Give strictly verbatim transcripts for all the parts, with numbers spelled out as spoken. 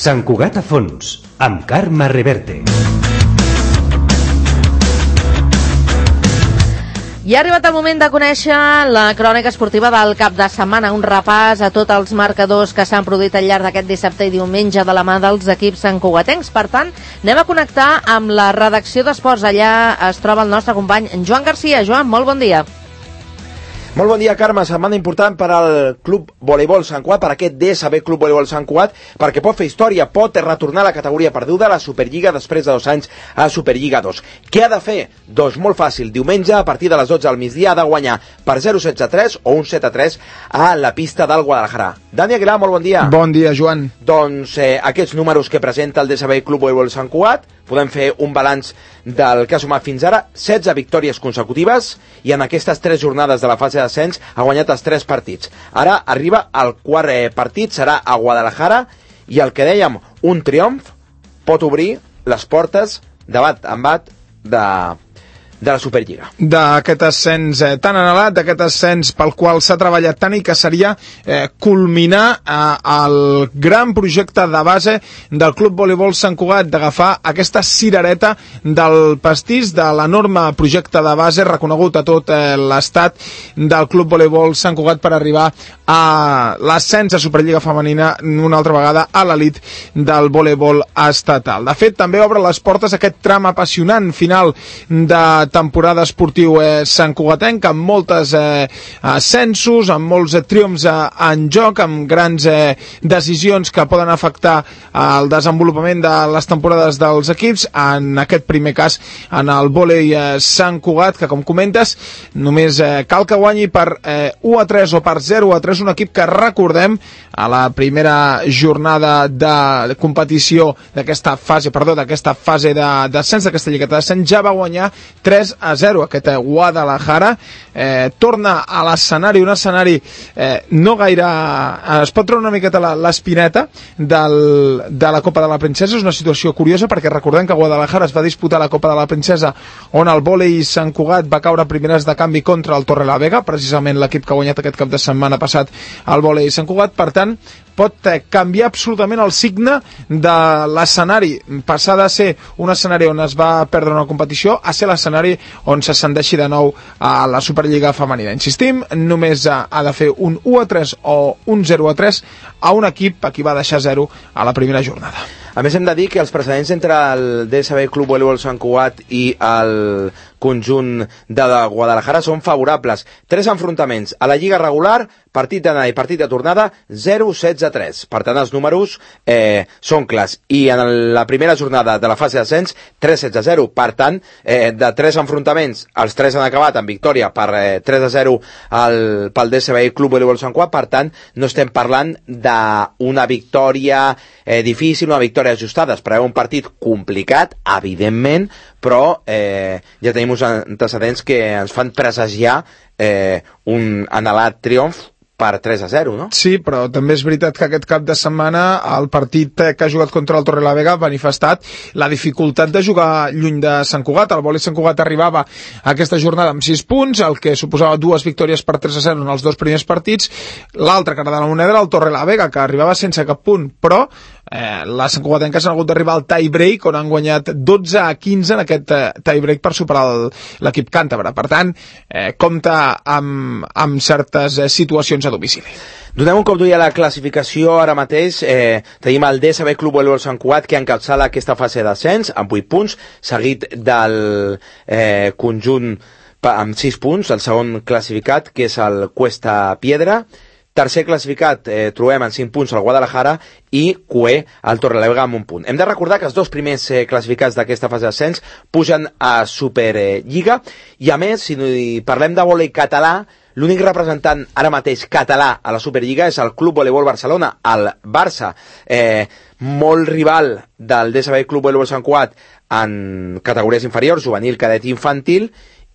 Sant Cugat a fons, amb Carme Reverte. I ha arribat el moment de conèixer la crònica esportiva del cap de setmana, un repàs a tots els marcadors que s'han produït al llarg d'aquest dissabte i diumenge de la mà dels equips santcugatencs. Per tant, anem a connectar amb la redacció d'Esports. Allà es troba el nostre company Joan Garcia. Joan, molt bon dia. Molt bon dia, Carme. Setmana important per al Club Voleibol Sant Cugat, per aquest D S B Club Voleibol Sant Cugat, perquè pot fer història, pot retornar a la categoria perduda a la Superliga després de dos anys a Superliga dos. Què ha de fer? Doncs molt fàcil. Diumenge, a partir de les dotze del migdia, ha de guanyar per zero setze a tres o un set a tres a la pista del Guadalajara. Dani Aguilar, molt bon dia. Bon dia, Joan. Doncs eh, aquests números que presenta el D S B Club Voleibol Sant Cugat, podem fer un balanç del que ha sumat fins ara, setze victòries consecutives, i en aquestes tres jornades de la fase d'ascens ha guanyat els tres partits. Ara arriba al quart eh, partit, serà a Guadalajara, i el que dèiem, un triomf pot obrir les portes de bat en bat de... de la Superliga. D'aquest ascens eh, tan anhelat, d'aquest ascens pel qual s'ha treballat tant i que seria eh, culminar eh, el gran projecte de base del Club Voleibol Sant Cugat, d'agafar aquesta cirereta del pastís de l'enorme projecte de base reconegut a tot eh, l'estat del Club Voleibol Sant Cugat per arribar a l'ascens a Superliga Femenina una altra vegada a l'elit del voleibol estatal. De fet, també obre les portes aquest tram apassionant final de temporada esportiu eh, santcugatenc, amb moltes eh, ascensos, amb molts eh, triomfs eh, en joc, amb grans eh, decisions que poden afectar el desenvolupament de les temporades dels equips, en aquest primer cas en el vòlei eh, Sant Cugat, que com comentes només eh, cal que guanyi per eh, u a tres o per zero a tres un equip que, recordem, a la primera jornada de competició d'aquesta fase, perdó, d'aquesta fase d'ascens, d'aquesta lligueta d'ascens, ja va guanyar tres a zero. Aquest Guadalajara eh, torna a l'escenari, un escenari eh, no gaire... Eh, es pot treure una miqueta l'espineta del, de la Copa de la Princesa. És una situació curiosa perquè recordem que Guadalajara es va disputar la Copa de la Princesa, on el vòlei Sant Cugat va caure primeres de canvi contra el Torrelavega, precisament l'equip que ha guanyat aquest cap de setmana passat al vòlei Sant Cugat. Per tant, pot canviar absolutament el signe de l'escenari, passar de ser un escenari on es va perdre una competició a ser l'escenari on s'ascendeixi de nou a la Superliga Femenina. Insistim, només ha de fer un u a tres o un zero a tres a un equip a qui va deixar zero a la primera jornada. A més, hem de dir que els precedents entre el D S B Club Voleibol Sant Cugat i el conjunt de Guadalajara són favorables. Tres enfrontaments a la Lliga regular, partit d'anada i partit de tornada, zero setze a tres. Per tant, els números eh, són clars. I en la primera jornada de la fase d'ascens, tres setze a zero. Per tant, eh, de tres enfrontaments, els tres han acabat en victòria per eh, tres a zero al, pel D S B Club Voleibol Sant Cugat. Per tant, no estem parlant d'una victòria eh, difícil, una victòria ajustada. Es preveu un partit complicat, evidentment, però eh, ja tenim uns antecedents que ens fan presagiar eh, un anhelat triomf per tres a zero, no? Sí, però també és veritat que aquest cap de setmana el partit que ha jugat contra el Torrelavega ha manifestat la dificultat de jugar lluny de Sant Cugat. El vòlei Sant Cugat arribava a aquesta jornada amb sis punts, el que suposava dues victòries per tres a zero en els dos primers partits. L'altra cara de la moneda era el Torrelavega, que arribava sense cap punt, però eh, la Sant Cugatenques han hagut d'arribar al tie break, on han guanyat dotze a quinze en aquest eh, tie break per superar l'equip càntabre. Per tant, eh, compta amb, amb certes eh, situacions a domicili. Donem un cop d'ull a la classificació ara mateix. Eh, tenim el D S B Club Voleibol Sant Cugat, que encapçala aquesta fase d'ascens amb vuit punts, seguit del eh, conjunt amb sis punts, el segon classificat, que és el Cuesta Piedra. Tercer classificat eh, trobem en cinc punts el Guadalajara i cué el Torrelavega amb un punt. Hem de recordar que els dos primers eh, classificats d'aquesta fase d'ascens pugen a Superliga, i a més, si parlem de vòlei català, l'únic representant ara mateix català a la Superliga és el Club Voleibol Barcelona, el Barça, eh, molt rival del D S B Club Voleibol Sant Cugat en categories inferiors, juvenil, cadet i infantil,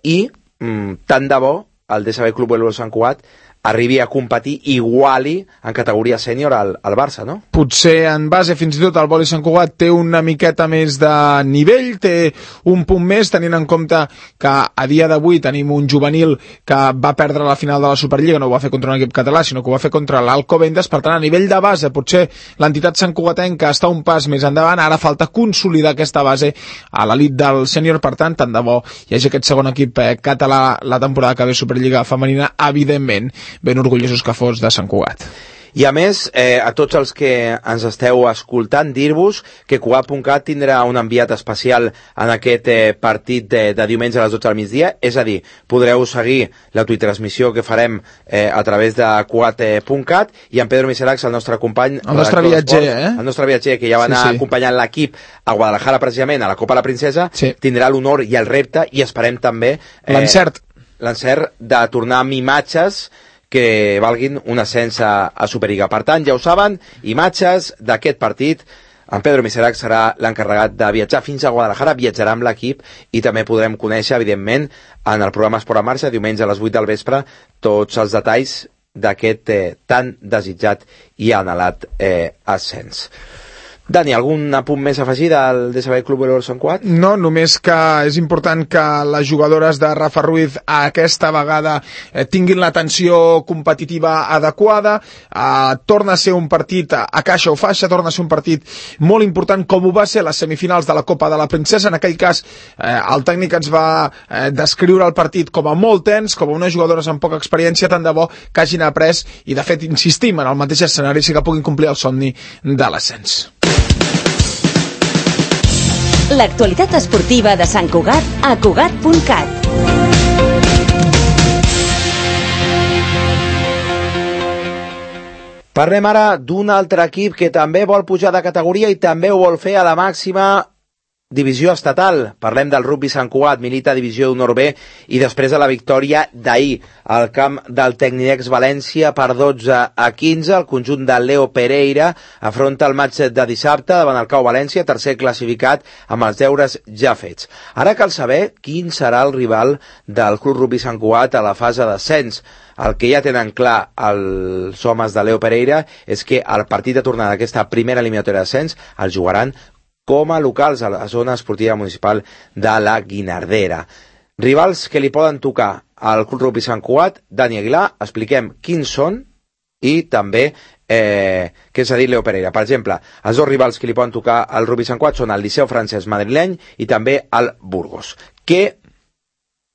i mm, tant de bo el D S B Club Voleibol Sant Cugat arribi a competir, iguali en categoria sènior al, al Barça, no? Potser en base, fins i tot, el Boli Sant Cugat té una miqueta més de nivell, té un punt més, tenint en compte que a dia d'avui tenim un juvenil que va perdre la final de la Superliga, no ho va fer contra un equip català, sinó que ho va fer contra l'Alcobendas. Per tant, a nivell de base, potser l'entitat santcugatenca està un pas més endavant, ara falta consolidar aquesta base a l'elit del sènior. Per tant, tant de bo hi hagi aquest segon equip eh, català la temporada que ve Superliga femenina, evidentment ben orgullosos que fos de Sant Cugat. I a més, eh, a tots els que ens esteu escoltant, dir-vos que Cugat punt cat tindrà un enviat especial en aquest eh, partit de, de diumenge a les dotze del migdia, és a dir, podreu seguir l'autotransmissió que farem eh, a través de Cugat punt cat, i en Pedro Miseracs, el nostre company, el nostre viatger, eh? el nostre viatger, que ja va anar sí, sí. acompanyant l'equip a Guadalajara precisament, a la Copa la Princesa, sí. tindrà l'honor i el repte, i esperem també eh, l'encert l'encert de tornar amb imatges que valguin un ascens a, a Superliga. Per tant, ja ho saben, imatges d'aquest partit. En Pedro Miserac serà l'encarregat de viatjar fins a Guadalajara, viatjarà amb l'equip i també podrem conèixer, evidentment, en el programa Esport en Marxa, diumenge a les vuit del vespre, tots els detalls d'aquest eh, tan desitjat i anhelat eh, ascens. Dani, algun apunt més a afegir del D S B Club Voleibol Sant Cugat? No, només que és important que les jugadores de Rafa Ruiz aquesta vegada eh, tinguin l'atenció competitiva adequada, eh, torna a ser un partit a, a caixa o faixa, torna a ser un partit molt important com ho va ser les semifinals de la Copa de la Princesa. En aquell cas eh, el tècnic ens va eh, descriure el partit com a molt tens, com a unes jugadores amb poca experiència, tant de bo que hagin après i de fet insistim en el mateix escenari si que puguin complir el somni de l'ascens. L'actualitat esportiva de Sant Cugat a Cugat punt cat. Parlem ara d'un altre equip que també vol pujar de categoria i també ho vol fer a la màxima divisió estatal. Parlem del Rugby Sant Cugat, milita divisió d'honor B, i després de la victòria d'ahir al camp del Tecnidex València per dotze a quinze, el conjunt de Leo Pereira afronta el matx de dissabte davant el Cau València, tercer classificat amb els deures ja fets. Ara cal saber quin serà el rival del Club Rugby Sant Cugat a la fase d'ascens. El que ja tenen clar els homes de Leo Pereira és que el partit de tornada d'aquesta primera eliminatòria d'ascens el jugaran com a locals a la zona esportiva municipal de la Guinardera. Rivals que li poden tocar al Club Rugby Sant Cugat. Dani Aguilar, expliquem quins són i també eh, què s'ha dit Leo Pereira. Per exemple, els dos rivals que li poden tocar al Rugby Sant Cugat són el Liceu Francès madrileny i també el Burgos. Què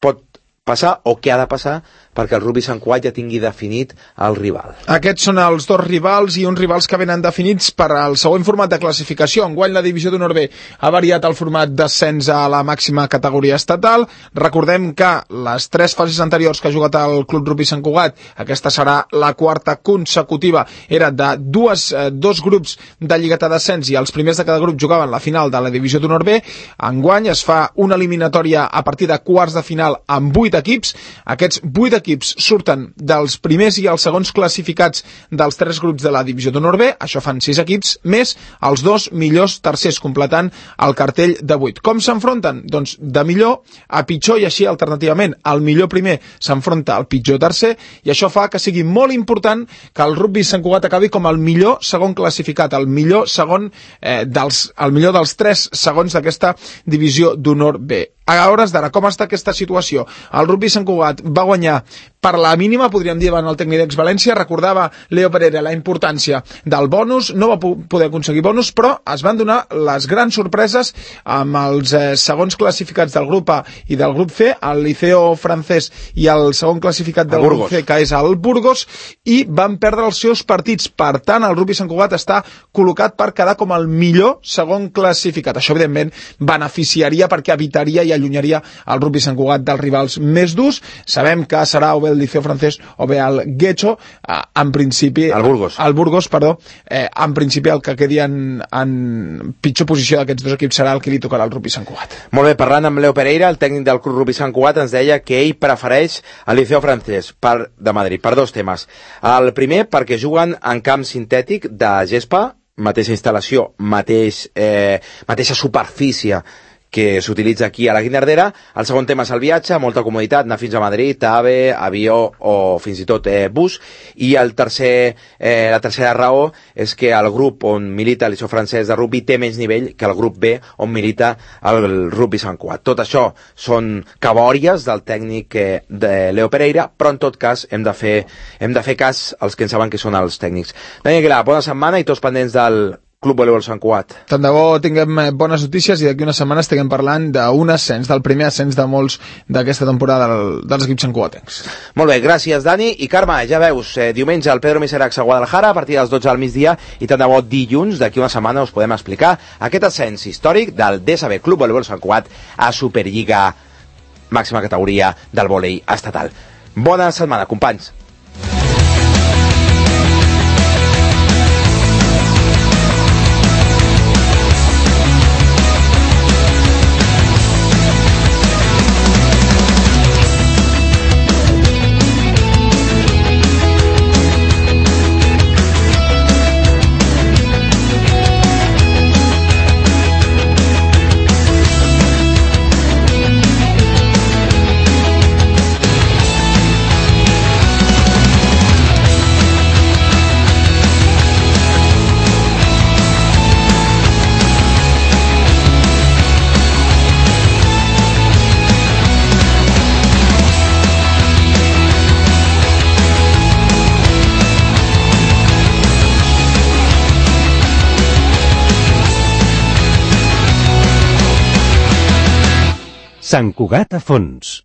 pot passar o què ha de passar perquè el Rugby Sant Cugat ja tingui definit el rival? Aquests són els dos rivals i uns rivals que venen definits per al següent format de classificació. Enguany la divisió d'honor B ha variat el format d'ascens a la màxima categoria estatal. Recordem que les tres fases anteriors que ha jugat el Club Rugby Sant Cugat, aquesta serà la quarta consecutiva, era de dues, eh, dos grups de lligueta d'ascens i els primers de cada grup jugaven la final de la divisió d'honor B. Enguany es fa una eliminatòria a partir de quarts de final amb vuit equips. Aquests vuit equips equips surten dels primers i els segons classificats dels tres grups de la divisió d'honor B, això fan sis equips, més els dos millors tercers, completant el cartell de vuit. Com s'enfronten? Doncs de millor a pitjor, i així alternativament el millor primer s'enfronta al pitjor tercer, i això fa que sigui molt important que el Rugby Sant Cugat acabi com el millor segon classificat, el millor segon eh, dels, el millor dels tres segons d'aquesta divisió d'honor B. A hores d'ara, com està aquesta situació? El Rugby Sant Cugat va guanyar per la mínima, podríem dir, davant el Tecnidex València. Recordava Leo Pereira la importància del bonus, no va poder aconseguir bonus, però es van donar les grans sorpreses amb els eh, segons classificats del grup A i del grup C, el Liceo Francès i el segon classificat del grup C, que és el Burgos, i van perdre els seus partits. Per tant, el Rugby Sant Cugat està col·locat per quedar com el millor segon classificat. Això, evidentment, beneficiaria perquè evitaria i allunyaria el Rugby Sant Cugat dels rivals més durs. Sabem que serà o bé el Liceo Francès o bé el Guecho, eh, en principi... El Burgos. El Burgos, perdó. Eh, en principi el que quedi en, en pitjor posició d'aquests dos equips serà el que li tocarà al Rugby Sant Cugat. Molt bé, parlant amb Leo Pereira, el tècnic del Club Rugby Sant Cugat ens deia que ell prefereix el Liceo Francès per, de Madrid, per dos temes. El primer, perquè juguen en camp sintètic de gespa, mateixa instal·lació, mateix, eh, mateixa superfície que s'utilitza aquí a la Guinardera. El segon tema és el viatge, molta comoditat, anar fins a Madrid, AVE, avió o fins i tot eh, bus. I el tercer, eh, la tercera raó és que el grup on milita l'I S O francès de rugby té menys nivell que el grup B on milita el rugby Sant Cugat. Tot això són cabòries del tècnic eh, de Leo Pereira, però en tot cas hem de fer, hem de fer cas als que en saben que són els tècnics. Dani Aguilar, bona setmana i tots pendents del Club Voleibol Sant Cugat. Tant de bo tinguem bones notícies i d'aquí unes setmanes estiguem parlant d'un ascens, del primer ascens de molts d'aquesta temporada del, dels equips santcugatencs. Molt bé, gràcies Dani. I Carme, ja veus, eh, diumenge al Pedro Miseracs a Guadalajara a partir dels dotze del migdia i tant de bo dilluns, d'aquí una setmana us podem explicar aquest ascens històric del D S B Club Voleibol Sant Cugat a Superliga, màxima categoria del vòlei estatal. Bona setmana, companys. Sant Cugat a fons.